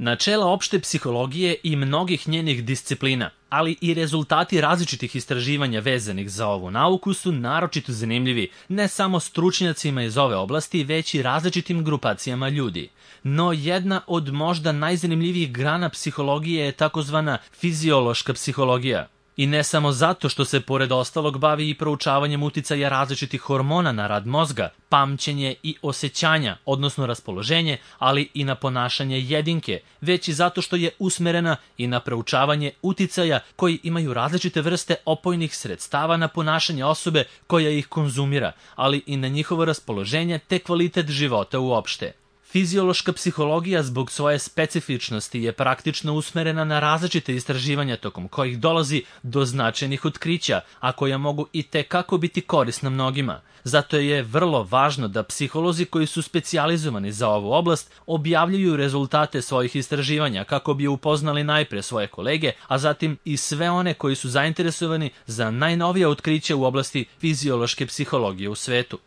Načela opšte psihologije i mnogih njenih disciplina, ali i rezultati različitih istraživanja vezanih za ovu nauku su naročito zanimljivi ne samo stručnjacima iz ove oblasti, već i različitim grupacijama ljudi. No jedna od možda najzanimljivijih grana psihologije je takozvana fiziološka psihologija. I ne samo zato što se pored ostalog bavi i proučavanjem uticaja različitih hormona na rad mozga, pamćenje i osjećanja, odnosno raspoloženje, ali i na ponašanje jedinke, već i zato što je usmerena i na proučavanje uticaja koji imaju različite vrste opojnih sredstava na ponašanje osobe koja ih konzumira, ali i na njihovo raspoloženje te kvalitet života uopšte. Fiziološka psihologija zbog svoje specifičnosti je praktično usmerena na različite istraživanja tokom kojih dolazi do značajnih otkrića, a koja mogu i tekako biti korisna mnogima. Zato je vrlo važno da psiholozi koji su specijalizovani za ovu oblast objavljuju rezultate svojih istraživanja kako bi upoznali najpre svoje kolege, a zatim i sve one koji su zainteresovani za najnovija otkrića u oblasti fiziološke psihologije u svetu.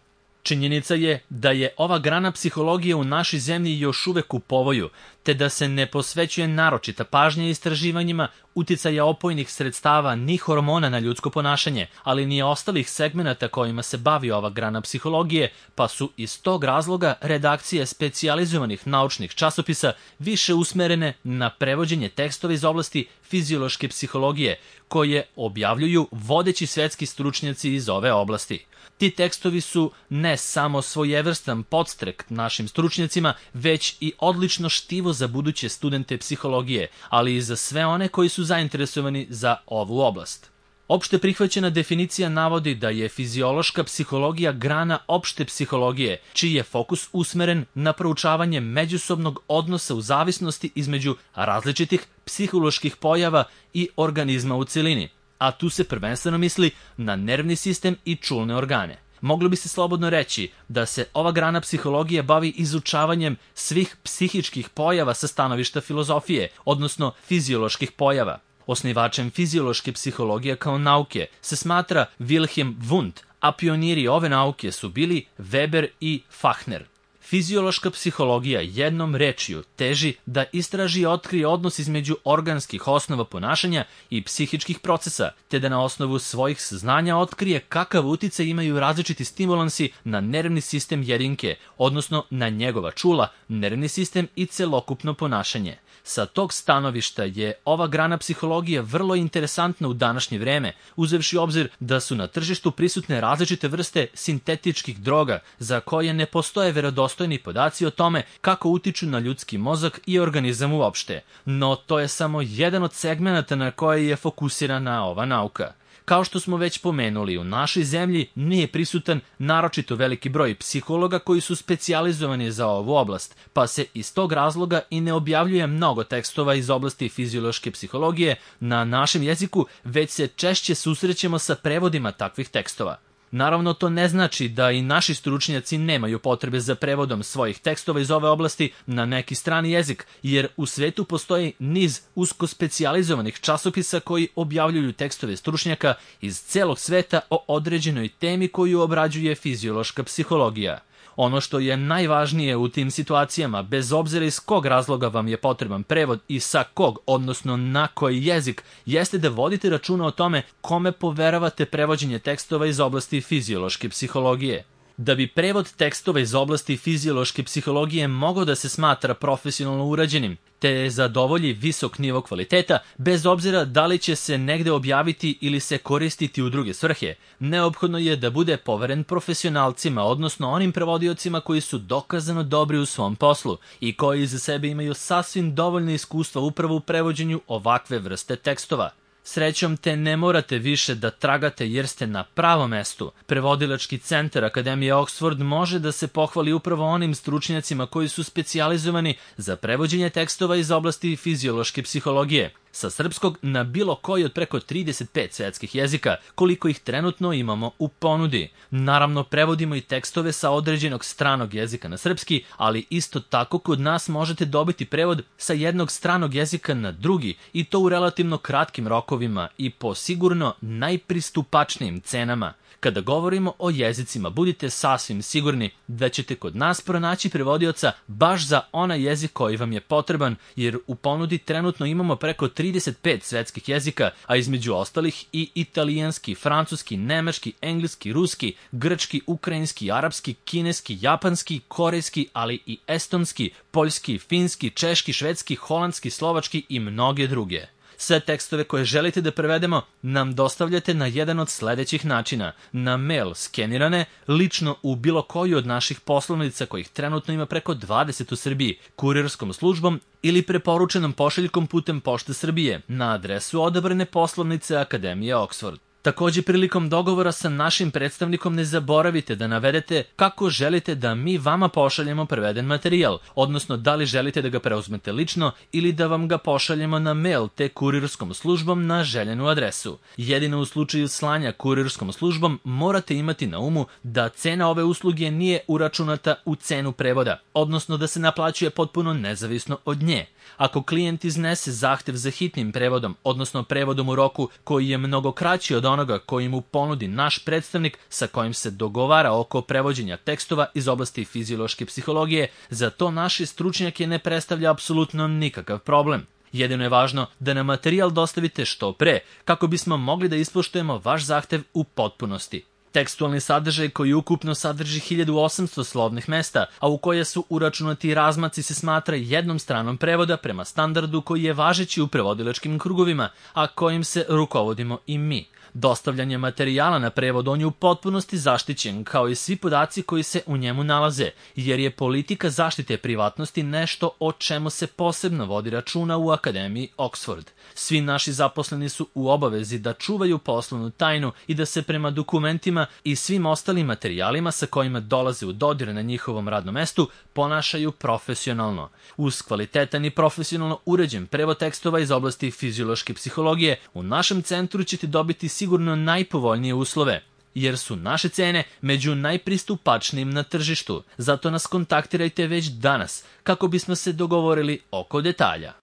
Činjenica je da je ova grana psihologije u našoj zemlji još uvek u povoju, te da se ne posvećuje naročita pažnja istraživanjima uticaja opojnih sredstava ni hormona na ljudsko ponašanje, ali ni ostalih segmenata kojima se bavi ova grana psihologije, pa su iz tog razloga redakcije specijalizovanih naučnih časopisa više usmerene na prevođenje tekstova iz oblasti fiziološke psihologije, koje objavljuju vodeći svetski stručnjaci iz ove oblasti. Ti tekstovi su ne samo svojevrstan podstrek našim stručnjacima, već i odlično štivo za buduće studente psihologije, ali i za sve one koji su zainteresovani za ovu oblast. Opšte prihvaćena definicija navodi da je fiziološka psihologija grana opšte psihologije, čiji je fokus usmeren na proučavanje međusobnog odnosa u zavisnosti između različitih psiholoških pojava i organizma u celini, a tu se prvenstveno misli na nervni sistem i čulne organe. Moglo bi se slobodno reći da se ova grana psihologije bavi izučavanjem svih psihičkih pojava sa stanovišta filozofije, odnosno fizioloških pojava. Osnivačem fiziološke psihologije kao nauke se smatra Wilhelm Wundt, a pioniri ove nauke su bili Weber i Fachner. Fiziološka psihologija jednom rečju teži da istraži i otkrije odnos između organskih osnova ponašanja i psihičkih procesa, te da na osnovu svojih saznanja otkrije kakav uticaj imaju različiti stimulansi na nervni sistem jedinke, odnosno na njegova čula, nervni sistem i celokupno ponašanje. Sa tog stanovišta je ova grana psihologije vrlo interesantna u današnje vreme, uzevši obzir da su na tržištu prisutne različite vrste sintetičkih droga za koje ne postoje verodostojni podaci o tome kako utiču na ljudski mozak i organizam uopšte. No to je samo jedan od segmenata na koje je fokusirana ova nauka. Kao što smo već pomenuli, u našoj zemlji nije prisutan naročito veliki broj psihologa koji su specijalizovani za ovu oblast, pa se iz tog razloga i ne objavljuje mnogo tekstova iz oblasti fiziološke psihologije na našem jeziku, već se češće susrećemo sa prevodima takvih tekstova. Naravno, to ne znači da i naši stručnjaci nemaju potrebe za prevodom svojih tekstova iz ove oblasti na neki strani jezik, jer u svetu postoji niz usko specijalizovanih časopisa koji objavljuju tekstove stručnjaka iz celog sveta o određenoj temi koju obrađuje fiziološka psihologija. Ono što je najvažnije u tim situacijama, bez obzira iz kog razloga vam je potreban prevod i sa kog, odnosno na koji jezik, jeste da vodite računa o tome kome poveravate prevođenje tekstova iz oblasti fiziološke psihologije. Da bi prevod tekstova iz oblasti fiziološke psihologije mogao da se smatra profesionalno urađenim, te zadovolji visok nivo kvaliteta, bez obzira da li će se negde objaviti ili se koristiti u druge svrhe, neophodno je da bude poveren profesionalcima, odnosno onim prevodiocima koji su dokazano dobri u svom poslu i koji za sebe imaju sasvim dovoljno iskustva upravo u prevođenju ovakve vrste tekstova. Srećom te ne morate više da tragate jer ste na pravom mestu. Prevodilački centar Akademije Oxford može da se pohvali upravo onim stručnjacima koji su specijalizovani za prevođenje tekstova iz oblasti fiziološke psihologije. sa srpskog na bilo koji od preko 35 svetskih jezika, koliko ih trenutno imamo u ponudi. Naravno, prevodimo i tekstove sa određenog stranog jezika na srpski, ali isto tako kod nas možete dobiti prevod sa jednog stranog jezika na drugi i to u relativno kratkim rokovima i po sigurno najpristupačnijim cenama. Kada govorimo o jezicima, budite sasvim sigurni da ćete kod nas pronaći prevodioca baš za onaj jezik koji vam je potreban, jer u ponudi trenutno imamo preko 35 svetskih jezika, a između ostalih i italijanski, francuski, nemački, engleski, ruski, grčki, ukrajinski, arapski, kineski, japanski, korejski, ali i estonski, poljski, finski, češki, švedski, holandski, slovački i mnoge druge. Sve tekstove koje želite da prevedemo nam dostavljate na jedan od sledećih načina: na mail skenirane, lično u bilo koju od naših poslovnica kojih trenutno ima preko 20 u Srbiji, kurirskom službom ili preporučenom pošiljkom putem Pošte Srbije na adresu odabrane poslovnice Akademije Oxford. Takođe, prilikom dogovora sa našim predstavnikom ne zaboravite da navedete kako želite da mi vama pošaljemo preveden materijal, odnosno da li želite da ga preuzmete lično ili da vam ga pošaljemo na mail te kurirskom službom na željenu adresu. Jedino u slučaju slanja kurirskom službom morate imati na umu da cena ove usluge nije uračunata u cenu prevoda, odnosno da se naplaćuje potpuno nezavisno od nje. Ako klijent iznese zahtev za hitnim prevodom, odnosno prevodom u roku koji je mnogo kraći od onoga koji mu ponudi naš predstavnik sa kojim se dogovara oko prevođenja tekstova iz oblasti fiziološke psihologije, za to naši stručnjake ne predstavlja apsolutno nikakav problem. Jedino je važno da nam materijal dostavite što pre, kako bismo mogli da ispoštujemo vaš zahtev u potpunosti. Tekstualni sadržaj koji ukupno sadrži 1800 slovnih mesta, a u koje su uračunati razmaci, se smatra jednom stranom prevoda prema standardu koji je važeći u prevodilačkim krugovima, a kojim se rukovodimo i mi. Dostavljanje materijala na prevod on je u potpunosti zaštićen, kao i svi podaci koji se u njemu nalaze, jer je politika zaštite privatnosti nešto o čemu se posebno vodi računa u Akademiji Oxford. Svi naši zaposleni su u obavezi da čuvaju poslovnu tajnu i da se prema dokumentima i svim ostalim materijalima sa kojima dolaze u dodir na njihovom radnom mestu ponašaju profesionalno. Uz kvalitetan i profesionalno uređen prevod tekstova iz oblasti fiziološke psihologije, u našem centru ćete dobiti sigurno najpovoljnije uslove, jer su naše cene među najpristupačnijim na tržištu. Zato nas kontaktirajte već danas kako bismo se dogovorili oko detalja.